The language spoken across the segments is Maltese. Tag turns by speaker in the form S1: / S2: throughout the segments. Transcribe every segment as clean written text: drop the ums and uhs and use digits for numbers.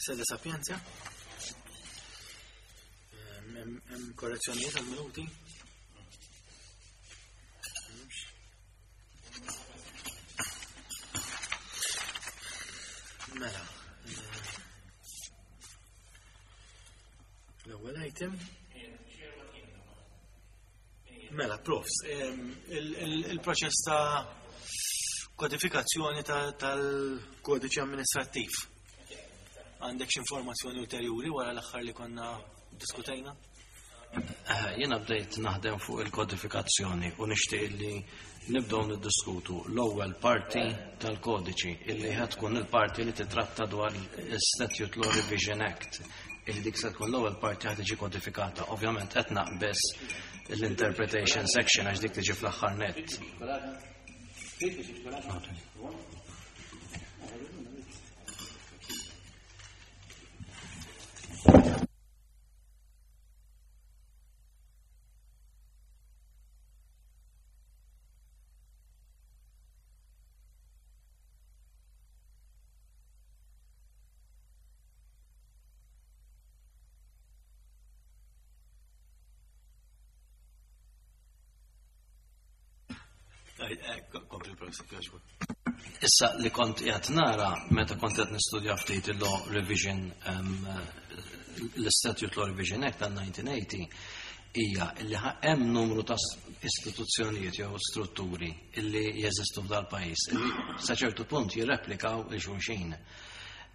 S1: Sede Sapienza. Hemm korrezzjonijiet għal minuti. Mela. L-ewwel item. Mela, profs, il-proċess ta' kodifikazzjoni tal-kodiċi amministrattiv. Għandek x'informazzjoni ulterjuri wara l-aħħar li konna diskutejna?
S2: Eh, jiena bdejt naħdem fuq il-kodifikazzjoni u nixtieq li nibdew niddiskutu l-ewwel parti tal-kodiċi illi ħad tkun il-parti li titratta dwar il-Statute Law Revision Act illi dik se tkun l-ewwel parti ħad tiġi kodifikata. Ovvjament qed naqbeż l-interpretation section għax dik tiġi fl-aħħar nett. Issa li kont qiegħed nara meta kont qed nistudja ftit il-law revision l-Statute Law Revision Act tal-1980 hija li hemm numru ta' istituzzjonijiet jew strutturi illi jeżistu f'dal-pajjiż illi sa ċertu punt jirreplikaw il xulxin.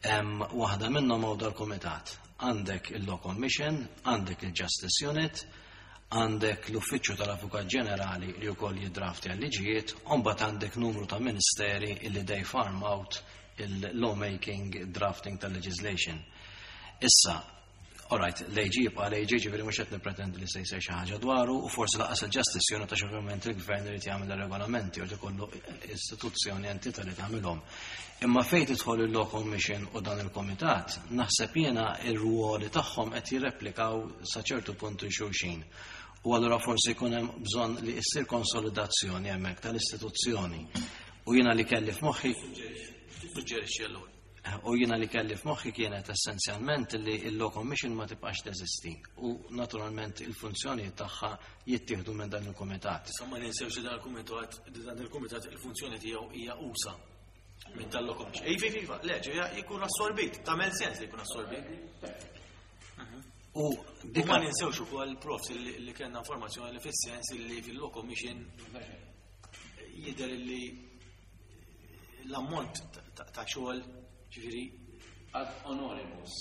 S2: Waħda minnhom hawn dal-kumitat. Għandek il-Law Commission, għandek il-Justice Unit, għandek l-Uffiċċju tal-Avukat Ġenerali li wkoll jiddraftja l-liġijiet, u mbagħad għandek numru ta' ministeri illi they farm out il-lawmaking drafting tal-legislation. Issa, alright, l-AG jibqa' l-AG ġifieri mhux qed nippretendi li se jsir xi ħaġa dwaru u forsi lanqas il-Justice Unit għax ovvjament il-Gvern irid jagħmel ir-regolamenti u ikollu istituzzjoni entità li tagħmilhom. Imma fejn tidħol il-Law Commission u dan il-Komitat, naħseb jiena ir-ruoli tagħhom qed jirreplikaw sa ċertu punt xulxin. U allura forsi jkun hemm bżonn li issir konsolidazzjoni hemmhekk tal-istituzzjoni. U jiena li kelli f'moħħi
S1: Suġġerixxi allura.
S2: U jiena li kelli f'moħħi kienet essenzjalment li il-Law Commission ma tibqax teżisti u naturalment il-funzjoni tagħha jittieħdu minn dan il-kumitat.
S1: Issa ma ninsewx li dan il-kumitat dan il-kumitat il-funzjoni tiegħu hija usa minn tal-Law Commission. Iva, iva, iva, le, ġeja jkun assorbit, tagħmel sens li jkun assorbit.
S2: U
S1: dik ma ninsewx ukoll profs li kellna informazzjoni li fis-sens li fil-Law Commission jidher li l-ammont ta' xogħol ġifieri
S3: ad honoribus.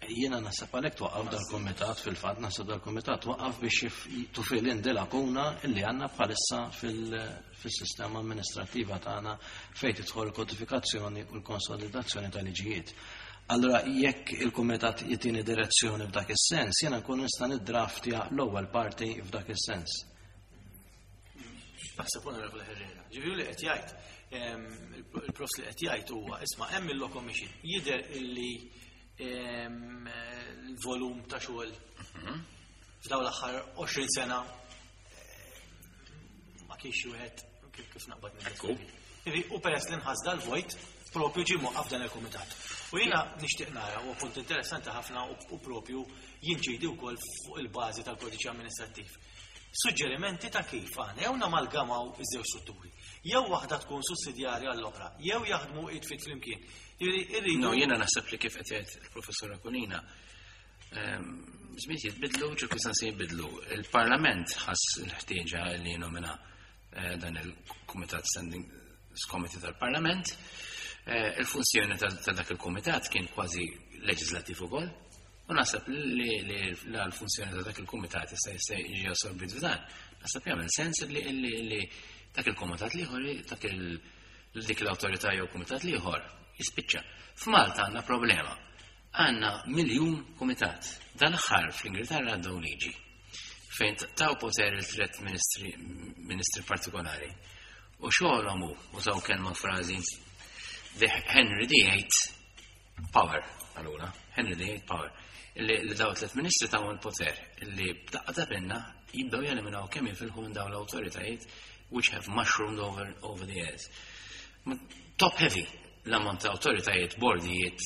S2: Jiena naħseb għalhekk twaqqaf dal-kumitat fil-fatt naħseb dal-kumitat twaqqaf biex to fill in the lacuna illi għandna bħalissa fil-sistema amministrattiva tagħna fejn tidħol il-kodifikazzjoni u l-konsolidazzjoni tal-liġijiet. Allora jekk il-kumitat jitini direzzjoni f'dak is-sens, jiena nkun nista' niddraftja l-ewwel parti f'dak is-sens.
S1: Naħseb Onorevole Herrera. Ġifieri li qed jgħid, il-profs li qed jgħid huwa isma' hemm il-Law Commission jidher illi l-volum ta' xogħol f'dawn l-aħħar 20 sena ma kienx wieħed kif naqbad minn. U peress li nħass dal-vojt, propju ġie mwaqqaf dan il-kumitat. U jiena nixtieq nara u punt interessanti ħafna u propju jinċidi wkoll fuq il-bażi tal-kodiċi amministrattiv. Suġġerimenti ta' kif aħna jew namalgamaw iż-żewġ strutturi, jew waħda tkun sussidjarja għall-oħra, jew jaħdmu id f'id flimkien. Ġifieri
S3: No, jiena naħseb li kif qed jgħid il-Professur Akunina, żmien jitbidlu, ċirkustanzi jitbidlu. Il-Parlament ħass il-ħtieġa li nomina eh, dan il-Kumitat Standing Committee tal-Parlament. Eh, il-funzjoni ta' dak il-Kumitat kien kważi leġislattiv ukoll. U naħseb li l-funzjoni ta' dak il-kumitat jista' jista' jiġi assorbit f'dan. Naħseb jagħmel sens li dak il-kumitat l-ieħor dak il dik l-awtorità jew kumitat l-ieħor jispiċċa. F'Malta għandna problema. Għandna miljun kumitat. Dal-aħħar fl-Ingilterra għaddew liġi fejn taw poter il-tret ministri, ministri partikolari. U xogħolhom hu, użaw kelma frażi, the Henry VIII power, allura, Henry VIII power, li daw tlet ministri taw il-poter li b'daqqa ta' pinna jibdew jeliminaw kemm jifilħu minn dawn l-awtoritajiet which have mushroomed over, over the years. Top heavy l-ammont ta' awtoritajiet, bordijiet,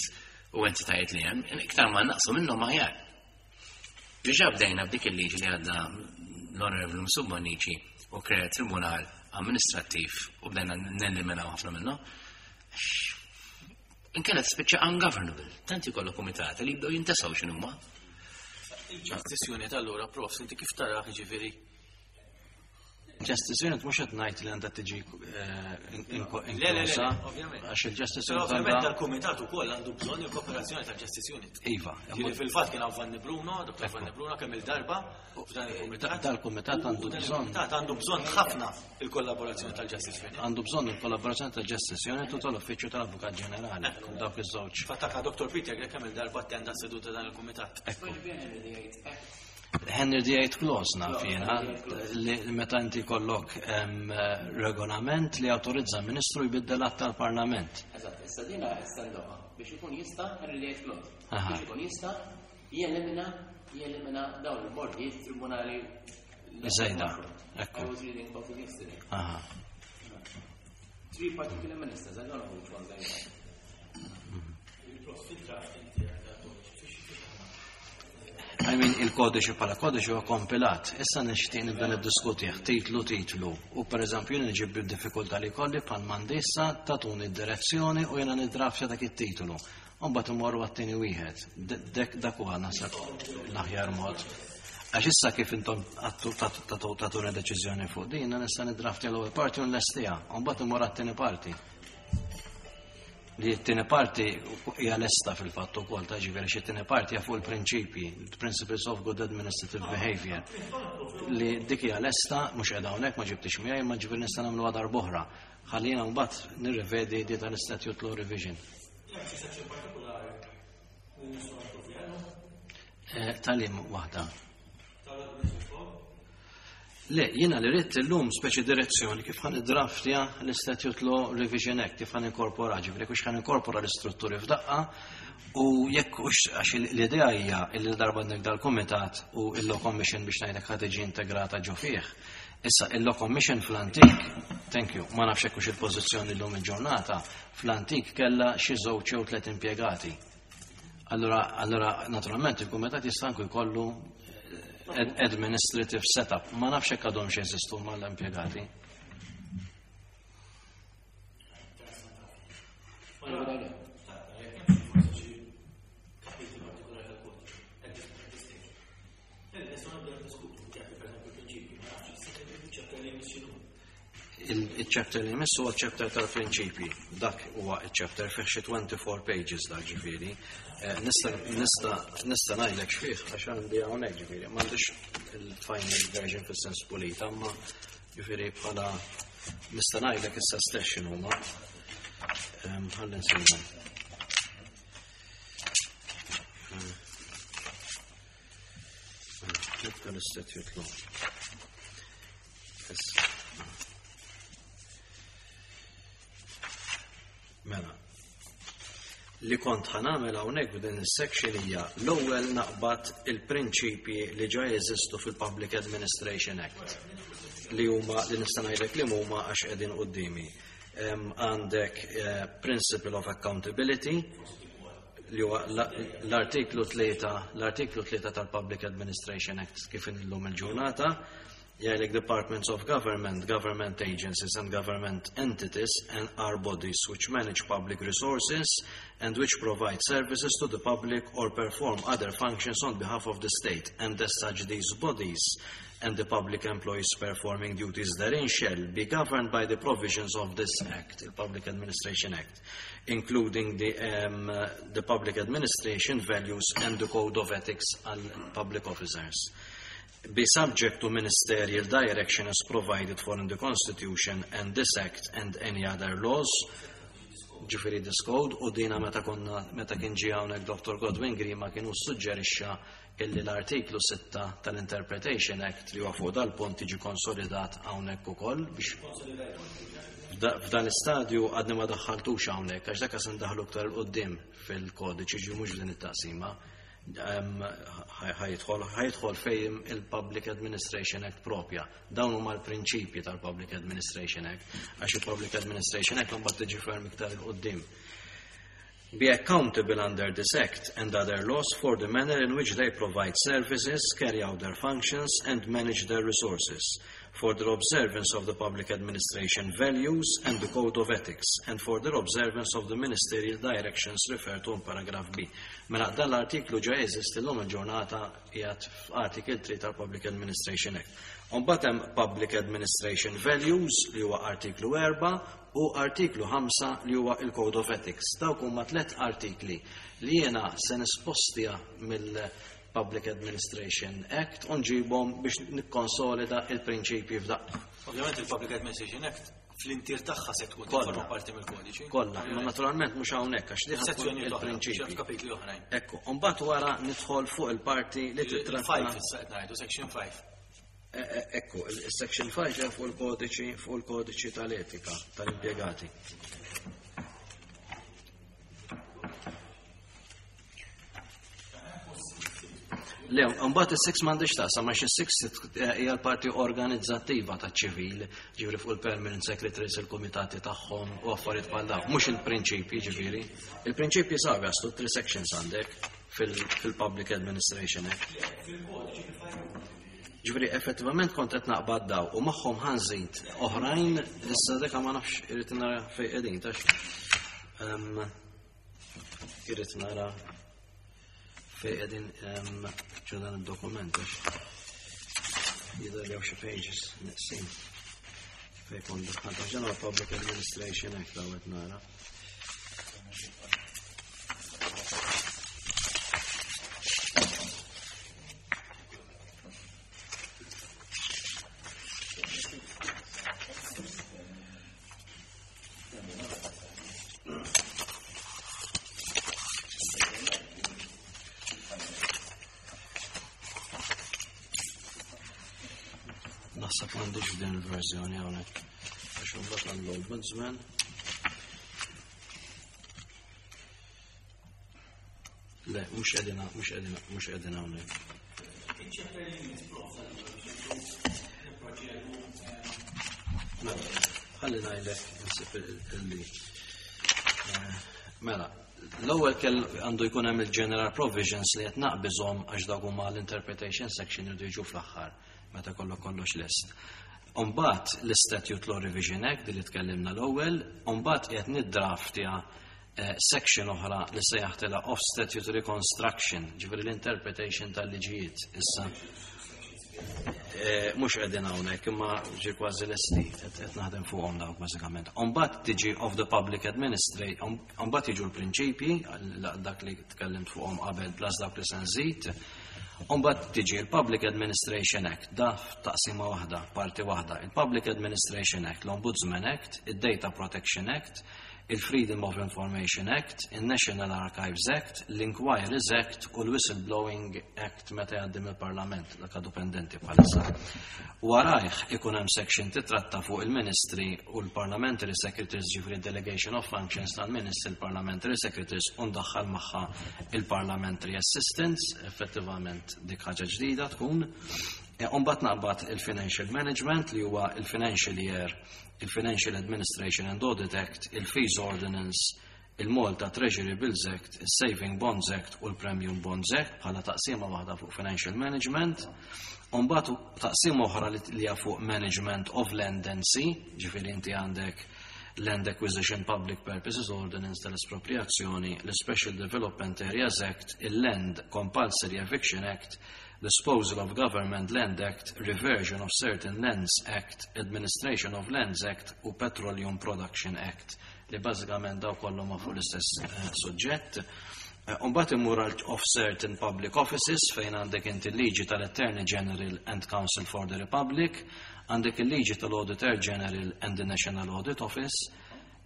S3: u entitajiet li hemm, iktar ma naqsu minnhom aħjar. Diġà bdejna b'dik il-liġi li għadda l-Onorevoli Mifsud Bonnici u krea tribunal amministrattiv u bdejna neliminaw ħafna minnhom. Inkella tispiċċa ungovernable, tant ikollok kumitat li jibdew jintesaw x'inhuma.
S1: Il-Justice Unit allura, prof, inti kif taraħ ġifieri?
S2: Justice Unit mhux qed ngħid li għandha tiġi
S1: Le, le, le,
S2: inklusa,
S1: ovvjament.
S2: għax il-Justice
S1: Però
S2: Unit
S1: ovvjament
S2: għandha
S1: dal-kumitat ukoll għandu bżonn il-kooperazzjoni tal-Justice Unit.
S2: Iva,
S1: Ġifieri fil-fatt kien hawn Vanni Bruno, Dr. Vanni Bruno kemm il-darba f'dan il-kumitat.
S2: Dal-kumitat għandu
S1: U dan
S2: bżonn.
S1: Il-kumitat għandu bżonn ħafna il-kollaborazzjoni tal-Justice Unit.
S2: Għandu bżonn il-kollaborazzjoni tal-Justice Unit u tal-Uffiċċju tal-Avukat Ġenerali, dawk iż-żewġ.
S1: Fattaka Dr. Peter Grech kemm il-darba attenda seduta dan il-kumitat.
S2: Ekku. Henry VIII Clause naf jiena, li meta inti kollok regolament li autorizza ministru jbiddel att tal-Parlament.
S3: Eżatt, issa dina estendoha biex ikun jista' Henry VIII Clause.
S2: Aha.
S3: Biex ikun jista' jelimina jelimina dawn il-bordijiet tribunali.
S2: Żejda, ekku.
S3: I was reading about it yesterday.
S2: Aha.
S3: Three particular ministers, I don't know which ones they are.
S2: I mean, il-kodiċi bħala kodiċi huwa kompilat. Issa nixtieq nibda niddiskutih titlu titlu. U pereżempju jien nġib bid-diffikultà li kolli bħal m'għandi issa tatuni d-direzzjoni u jiena niddraftja dak it-titlu. U mbagħad imorru għat-tieni wieħed. Dek dak huwa naħseb l-aħjar mod. Għax issa kif intom għattu tatuna deċiżjoni fuq din, jiena nista' niddraftja l-ewwel parti u nlestiha, u mbagħad imorru għat-tieni parti. Li t-tieni parti hija lesta fil-fatt ukoll ta' ġifieri xi t-tieni parti hija fuq il-prinċipji, principles of good administrative behavior. Li dik hija lesta mhux qiegħda hawnhekk ma ġibtix miegħi imma ġifieri nista' nagħmluha darb'oħra. Ħallina mbagħad nirrivedi di tal-Statute Law Revision. Talim waħda. Le, jiena li rrid illum speċi direzzjoni kif ħan iddraftja l-Statute Law Revision Act, kif ħan inkorpora, ġifieri kux ħan inkorpora l-istrutturi f'daqqa u jekk hux għax l-idea hija li darba għandek dal-kumitat u il-Law Commission biex ngħidlek ħa tiġi integrata ġo fih. Issa il-Law Commission fl-antik, thank you, ma nafx hekk hux il-pożizzjoni llum il-ġurnata, fl-antik kellha xi żewġ jew tliet impjegati. Allura naturalment il-kumitat jista' anke jkollu administrative setup. Ma nafx hekk għadhom jeżistu mal-impjegati. Il-chapter li jmiss huwa chapter tal-prinċipji. Dak huwa il-chapter fih xi 24 pages dak ġifieri. Nista' ngħidlek x'fih għax għandi hawnhekk ġifieri. M'għandix il-final version fis-sens pulita, imma ġifieri bħala nista' ngħidlek issa stess x'inhuma. Ħalli nsibhom. Nibda l-Statute Law. Issa. Mela, li kont ħa nagħmel hawnhekk f'din is-section hija l-ewwel naqbad il-prinċipji li ġa jeżistu fil-Public Administration Act li huma li nista' ngħidlek li huma għax qegħdin quddiemi. Għandek Principle of Accountability li huwa l-artiklu 3 tal-Public Administration Act kif illum il-ġurnata. Jgħidlek departments of government, government agencies and government entities and are bodies which manage public resources and which provide services to the public or perform other functions on behalf of the state, and as such these bodies and the public employees performing duties therein shall be governed by the provisions of this Act, the Public Administration Act, including the public administration values and the code of ethics on public officers. Be subject to ministerial direction as provided for in the Constitution and this Act and any other laws. Ġifieri this code, u dina meta kien ġie hawnhekk Dr. Godwin Grima kienu suġġerixxa illi l-artiklu 6 tal-Interpretation Act li huwa fuq dal-punt jiġi konsolidat hawnhekk ukoll biex f'dan l-istadju għadni ma daħħaltux hawnhekk għax dak se ndaħlu aktar 'il quddiem fil-kodiċi ġi mhux f'din it-taqsima. Ħajidħol fejn il-Public Administration Act propja. Dawn huma l-prinċipji tal-Public Administration Act, għax il-Public Administration Act mbagħad tiġi ferm iktar 'il quddiem. Be accountable under this Act and other laws for the manner in which they provide services, carry out their functions, and manage their resources, for their observance of the public administration values and the code of ethics, and for their observance of the ministerial directions referred to in paragraph B. Mela dan l-artiklu ġa jeżisti llum il-ġurnata, qiegħed f'Article 3 tal-Public Administration Act. Imbagħad hemm Public Administration Values li huwa artiklu 4 u artiklu 5 li huwa il-Code of Ethics. Dawk huma tliet artikli li jiena se nispostja mill-Public Administration Act u nġibhom biex nikkonsolida il-prinċipji f'daqqa.
S1: Ovvjament il-Public Administration Act fl-intier tagħha se tkun
S2: Kollha.
S1: tifforma parti mill-kodiċi.
S2: Kollha, imma naturalment mhux hawnhekk għax diħa tkun
S1: Sezzjoni oħra,
S2: il-prinċipji.
S1: kapitli oħrajn.
S2: Ekku, mbagħad wara nidħol fuq il-parti li titratta.
S1: Il-5 issa qed ngħidu, section 5.
S2: Ekku, il-section 5 hija fuq il-kodiċi tal-etika tal-impjegati. Le, mbagħad is-6 m'għandix taqsam għax is-6 hija l-parti organizzattiva taċ-ċivil, ġifieri fuq il-permanent secretaries, il-kumitati tagħhom u affarijiet bħal dawn, mhux il-prinċipji ġifieri. Il-prinċipji sabi għastu three sections għandek fil-Public Administration Act. Ġifieri effettivament kont qed naqbad daw u magħhom ħa nżid oħrajn, issa deka ma nafx, irrid nara fejn qegħdin tax. Irrid nara fejn qegħdin ġo dan id-dokument għax jidher li hawn xi pages neqsin. Fejn kont daħħalt għax dan huwa Public Administration Act daw qed nara. Naħseb m'għandix f'din il-verżjoni hawnhekk. Għax imbagħad għall-Ombudsman. Le, mhux qegħdin, mhux qegħdin, mhux qegħdin hawnhekk. Mela, ħalli ngħidlek insib il-li. Mela, l-ewwel kell għandu jkun hemm il-general provisions li qed naqbiżhom għax dawk huma l-interpretation section jridu jiġu fl-aħħar meta kollu kollox lest. Umbagħad l-Statute Law Revision Act li tkellimna l-ewwel, umbagħad qed niddraftja section oħra li sejjaħtilha of Statutory Construction, ġifieri l-interpretation tal-liġijiet issa. Mhux qegħdin hawnhekk imma ġi kważi lesti qed naħdem fuqhom dawk bażikament. Umbagħad tiġi of the Public Administration, umbagħad jiġu l-prinċipji dak li tkellimt fuqhom qabel plus dawk li se nżid. Umbagħad tiġi l-Public Administration Act, da taqsima waħda, parti waħda. Il-Public Administration Act, l-Ombudsman Act, il-Data Protection Act, il-Freedom of Information Act, il-National Archives Act, l-Inquiries Act u l-Whistleblowing Act meta jgħaddi mill-Parlament, dak għadu pendenti bħalissa. Warajh ikun hemm section titratta fuq il-Ministri u l-Parliamentary Secretaries, ġifieri Delegation of Functions tal-Ministri, il-Parliamentary Secretaries, u ndaħħal magħha il-Parliamentary Assistants, effettivament dik ħaġa ġdida tkun. Umbagħad naqbad il-Financial Management li huwa il-Financial Year, il-Financial Administration and Audit Act, il-Fees Ordinance, il-Malta Treasury Bills Act, il-Saving Bonds Act u l-Premium Bonds Act bħala taqsima waħda fuq Financial Management. Umbagħad taqsima oħra li hija fuq Management of Land and Sea, ġifieri inti għandek Land Acquisition Public Purposes Ordinance tal-Espropriazzjoni, l-Special Development Areas Act, il-Land Compulsory Eviction Act, Disposal of Government Land Act, Reversion of Certain Lands Act, Administration of Lands Act u Petroleum Production Act, li bażikament daw kollu ma fuq l-istess suġġett. Umbagħad immur għal of Certain Public Offices fejn għandek inti l-liġi tal-Attorney General and Counsel for the Republic, għandek il-liġi tal-Auditor General and the National Audit Office,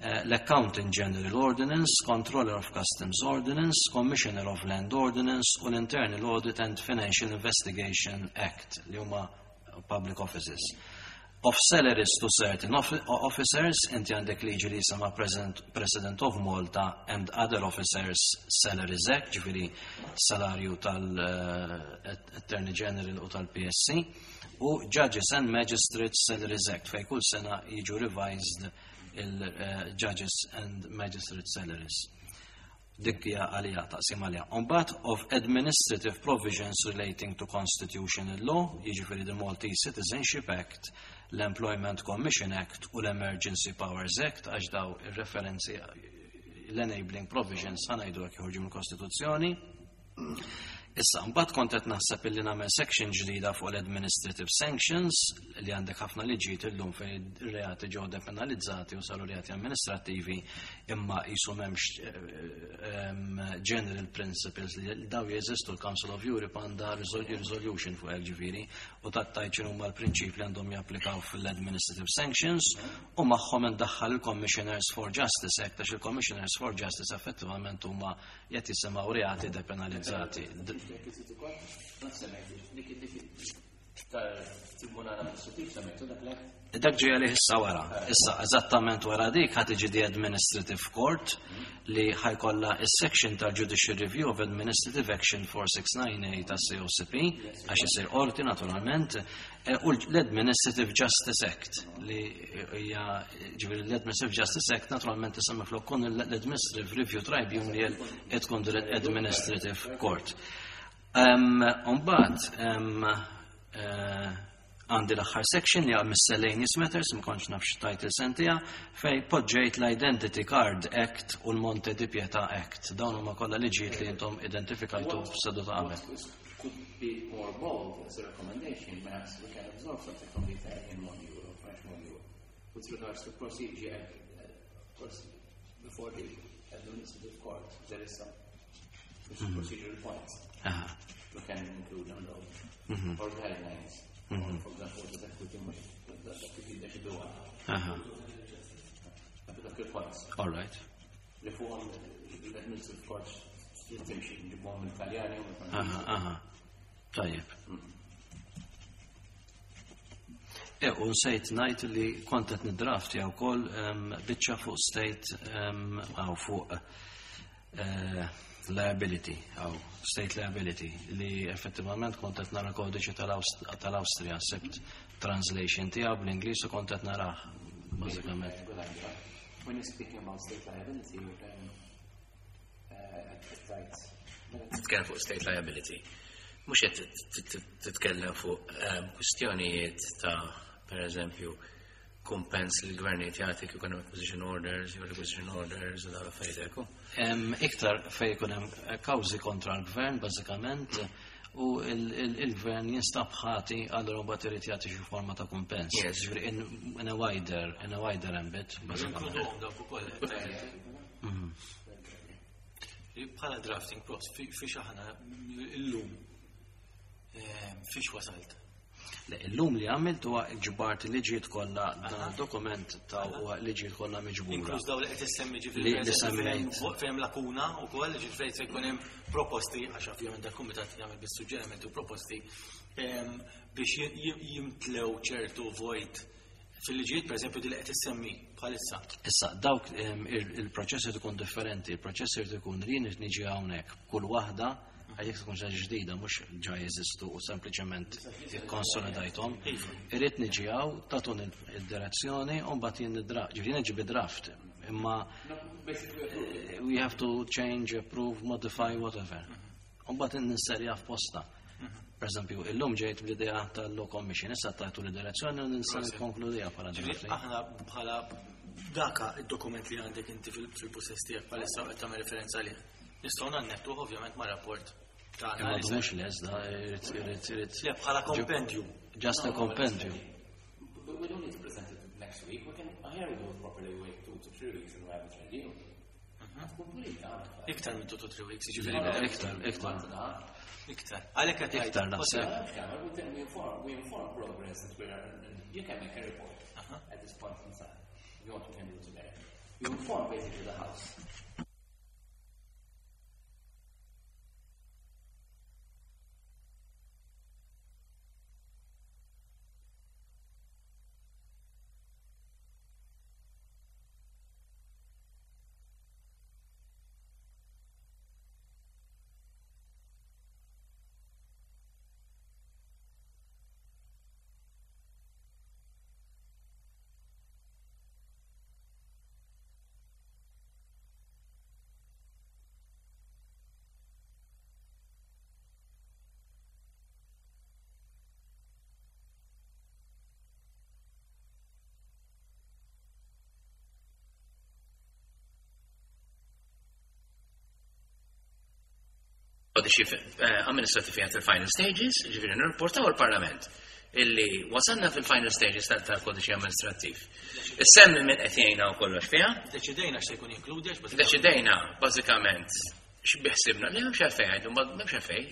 S2: l-Accountant General Ordinance, Controller of Customs Ordinance, Commissioner of Land Ordinance u l-Internal Audit and Financial Investigation Act li huma public offices. Of salaries to certain officers, inti għandek liġi li jisimha President of Malta and Other Officers Salaries Act, ġifieri salarju tal-Attorney General u tal-PSC, u Judges and Magistrates Salaries Act, fej kull sena jiġu revised il-Judges and Magistrates Salaries. Dik hija għalija taqsim għalija. Mbagħad of administrative provisions relating to constitutional law, jiġifieri the Maltese Citizenship Act, l-Employment Commission Act u l-Emergency Powers Act, għax daw ir-referenzi l-enabling provisions ħa ngħidu hekk joħorġu mill-Kostituzzjoni. Issa, mbagħad kont qed naħseb illi nagħmel section ġdida fuq l-administrative sanctions li għandek ħafna liġijiet illum fejn ir-reati ġew depenalizzati u saru reati amministrattivi imma qisu m'hemmx general principles li daw jeżistu. L-Council of Europe għandha resolution fuq hekk, ġifieri, u tattajt x'inhu huma l-prinċipji li għandhom japplikaw fil-administrative sanctions, u magħhom indaħħal il-Commissioners for Justice Act, għax il-Commissioners for Justice effettivament huma qed jisimgħu reati depenalizzati. Dak ġej għalih issa wara. Issa, eżattament wara dik ħa tiġi the Administrative Court li ħa jkollha is-section tal-Judicial Review of Administrative Action 469A ta' COCP, għax isir qorti naturalment, u l-Administrative Justice Act li hija, ġifieri l-Administrative Justice Act naturalment isemmi flok kun l-Administrative Review Tribunal qed tkun l-Administrative Court. Mbagħad għandi l-aħħar section li għal miscellaneous matters, ma kontx naf x'title sentija, fej poġġejt l-Identity Card Act u l-Monte di Pietà Act. Dawn huma kollha liġijiet li intom identifikajtu f'seduta qabel.
S3: Could be more bold as a recommendation, perhaps we can absorb something from the Italian module or French module with regards to procedure before the administrative court. There is some procedural points. We can include on those or guidelines. Or, for example, the equity, the equity that should be one. Dak il-points.
S2: All right.
S3: Li fuqhom l-administrative court timxi, nġibuhom mill-Italjani u mill-Franċiżi.
S2: Aha. Tajjeb. U nsejt ngħid li kont qed niddraft jew ukoll biċċa fuq state għaw fuq liability, għaw state liability, li effettivament kont qed nara kodiċi tal-Awstrija, sibt translation tiegħu bl-Ingliż u kont qed narah bażikament.
S3: Good idea. When you're speaking about state liability, titkellem fuq state liability. Mhux qed titkellem fuq kwistjonijiet ta', per eżempju, kumpens li l-gvernijiet jagħti kif hemm acquisition orders, jew requisition orders u dawn l-affarijiet hekk.
S2: Iktar fejn ikun hemm kawżi kontra l-gvern bażikament, u il-gvern jinstab ħati, allura mbagħad irid jagħti xi forma ta' kumpens. Ġifieri in a wider ambit, bażikament.
S1: Inkluduhom dawk ukoll. Bħala drafting props, fiex aħna illum, fiex wasalt?
S2: Le, illum li għamilt huwa ġbart liġijiet kollha, dan dokument ta' huwa liġijiet kollha miġbura.
S1: Inkluż dawn li qed issemmi, ġifieri,
S2: Li
S1: per eżempju,
S2: semmejt.
S1: fejn lakuna wkoll, ġifieri se jkun hemm proposti, għax ovvjament dak kumitat jagħmel bis suġġerimenti u proposti biex jimtlew ċertu vojt fil-liġijiet, per eżempju, di li qed issemmi bħalissa.
S2: Issa, dawk il-proċess irid ikun differenti, il-proċess irid ikun li jien niġi hawnhekk kull waħda, għal jekk tkun xi ġdida mhux ġa jeżistu u sempliċement ikkonsolidajthom. Irid niġi hawn tagħtun id-direzzjoni u mbagħad jien nidra, ġifieri niġi bid-draft, imma we have to change, approve, modify, whatever. U mbagħad ninserja f'posta. Per eżempju, illum ġejt bl-idea tal-Law Commission, issa tajtu l-direzzjoni u ninsa nikkonkludiha bħala
S1: Ġifieri,
S2: drafting.
S1: aħna bħala daka id-dokument li għandek inti fil-possess tiegħek bħalissa qed tagħmel referenza għalih. Nistgħu nannettuh ovvjament ma' rapport tagħna
S2: Imma
S1: li se-
S2: mhux les, da, irid,
S1: Le, bħala compendium.
S2: Just a compendium.
S3: But we don't need to present it next week. We can, here we do it properly, wait 2 to 3 weeks and we have it ready. Tkun pulita.
S1: Iktar minn 2 to 3 weeks, jiġifieri.
S2: Le, iktar, iktar.
S1: Iktar. Għalhekk qed ngħid,
S2: Iktar naħseb.
S3: We inform progress that we are, you can make a report at this point in time. If you want, we can do it together. You inform basically the house. Kodiċi amministrativ qiegħed fil-final stages, ġifieri nirrapportaw il-Parlament illi wasalna fil-final stages tal-kodiċi amministrattiv. Issemmi minn qed jgħinna u kollox fiha.
S1: Deċidejna x'se jkun jinkludi għax
S3: Deċidejna bażikament x'biħsibna li m'hemmx għalfejn għidu m'hemmx għalfejn.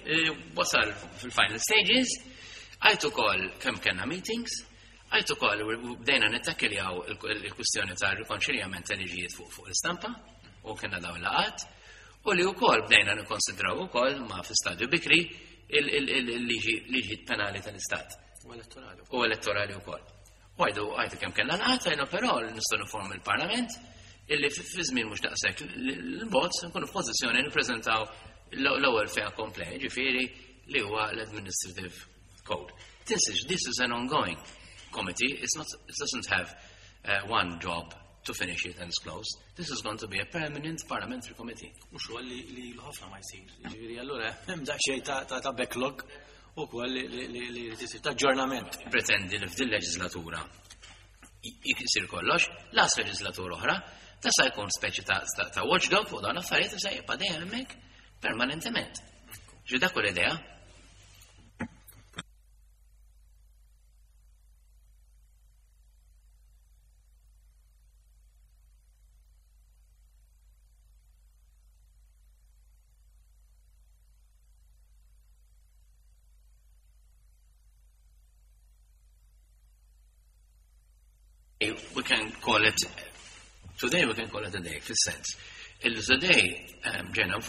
S3: Wasal fil-final stages, għajt ukoll kemm kellna meetings, għajt ukoll bdejna nittakiljaw il-kwistjoni ta' rikonċiljament tal-liġijiet fuq l-istampa u kellna dawn laqat. U li wkoll bdejna nikkonsidraw ukoll ma fi stadju bikri il-liġi penali tal-Istat.
S1: U elettorali.
S3: U elettorali wkoll. U għajdu għajdu kemm kellna laqat, għajdu però nistgħu niformu il-Parlament illi fi żmien mhux daqshekk l-bot nkunu f'pożizzjoni nippreżentaw l-ewwel fejn komplej, ġifieri li huwa l-Administrative Code. This is, this is an ongoing committee. It's not, it doesn't have one job to finish it and it's closed. This is going to be a permanent parliamentary committee.
S1: U xogħol li ħafna ma jsir. Ġifieri allura hemm daqsxejn ta' backlog ukoll li jrid isir ta' aġġornament.
S3: Pretendi li f'din leġislatura jisir kollox, las leġislatura oħra, ta' sa jkun speċi ta' watchdog fuq dawn affarijiet se jibqa' dejjem hemmhekk permanentement. Ġi dak l-idea. We can call it, today we can call it a day, fis-sens. Il-today ġena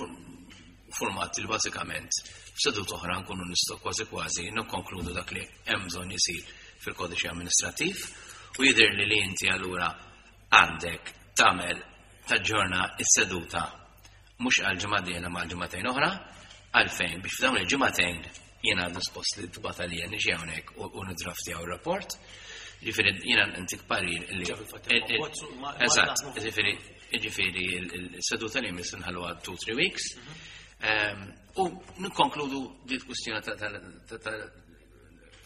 S3: format li bażikament f'sedut oħra nkunu nistgħu kważi kważi nikkonkludu dak li hemm bżonn isir fil-kodiċi amministrattiv u jidher li li inti allura għandek tagħmel taġġorna s-seduta mhux għal ġimgħa dieħla ma' ġimgħatejn oħra, għalfejn biex f'dawn il-ġimgħatejn jiena dispost li tibgħat għalija niġi hawnhekk u nidraftjaw ir-rapport. Ġifieri jiena ntik parir li. Eżatt, ġifieri ġifieri s-seduta li jmiss nħalluha 2-3 weeks. U nikkonkludu di l-kwistjoni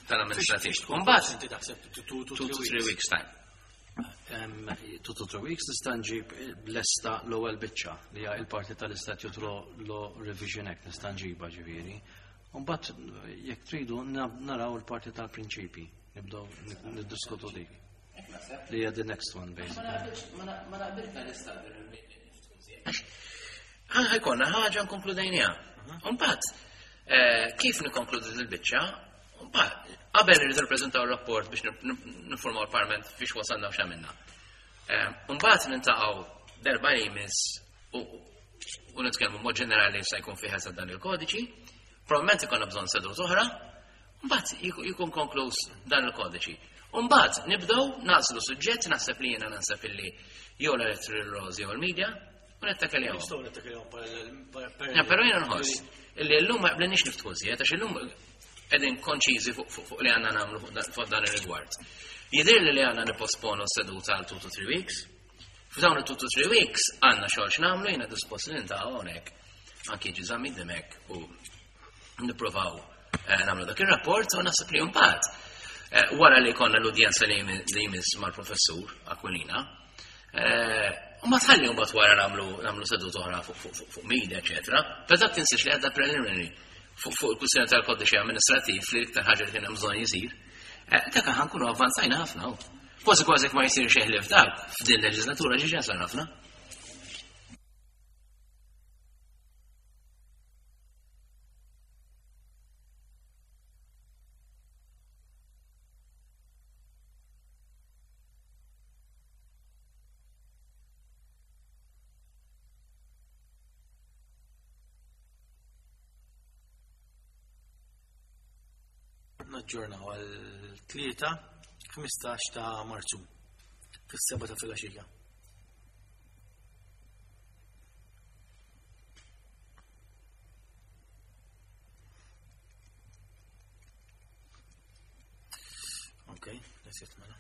S3: tal-amministrativ. Mbagħad
S1: inti taħseb
S3: 2-3 weeks time.
S2: 2 to 3 weeks nista' nġib lesta l-ewwel biċċa li hija il-parti tal-Statute Law Revision Act nista' nġibha ġifieri. Mbagħad jekk tridu naraw il-parti tal-prinċipi, nibdew niddiskutu dik. Li hija the next one basically.
S3: Ma naqbilx tal-istadju Ħajkonna ħaġa nkonkludejniha. Mbagħad kif nikkonkludu il-biċċa, mbagħad qabel irridu nippreżentaw rapport biex nifformaw il-Parlament fiex wasalna u x'għamilna. Mbagħad nintaqgħu darba li jmiss u nitkellmu mod ġenerali se jkun fih eżatt dan il-kodiċi, probabbilment ikollna bżonn sedut oħra, mbagħad jkun konkluż dan il-kodiċi. Mbagħad nibdew nagħżlu suġġett naħseb li jiena naħseb illi jew l-electoral laws jew il-media u nittakiljaw.
S1: Nistgħu nittakiljaw
S3: Però jiena nħoss illi llum ma qblinniex niftħu żjed għax illum qegħdin konċiżi fuq li għandna nagħmlu fuq dan ir-rigward. Jidhir li għandna nipposponu s-seduta għal 2 to 3 weeks. F'dawn il-2 to 3 weeks għandna xogħol x'nagħmlu jiena dispost li nintaqgħu hawnhekk anke jiġi Zammit Dimech u nipprovaw nagħmlu dak ir-rapport u naħseb li mbagħad wara li konna l-udjenza li jmiss mal-professur Aquilina, u ma tħalli mbagħad wara nagħmlu sedut oħra fuq media, eċetera. Però dak tinsiex li għadda preliminary fuq il-kwistjoni tal-kodiċi amministrattiv li iktar ħaġa li kien hemm bżonn jisir. Dak aħna nkunu avvanzajna ħafna. Kważi kważi ma jsir xejn ħlief dak f'din leġislatura ġiġa sar ħafna.
S1: Naġġornaw għal 3 15 ta' Marzu fis-7 ta' filgħaxija. Okay, that's it, mela.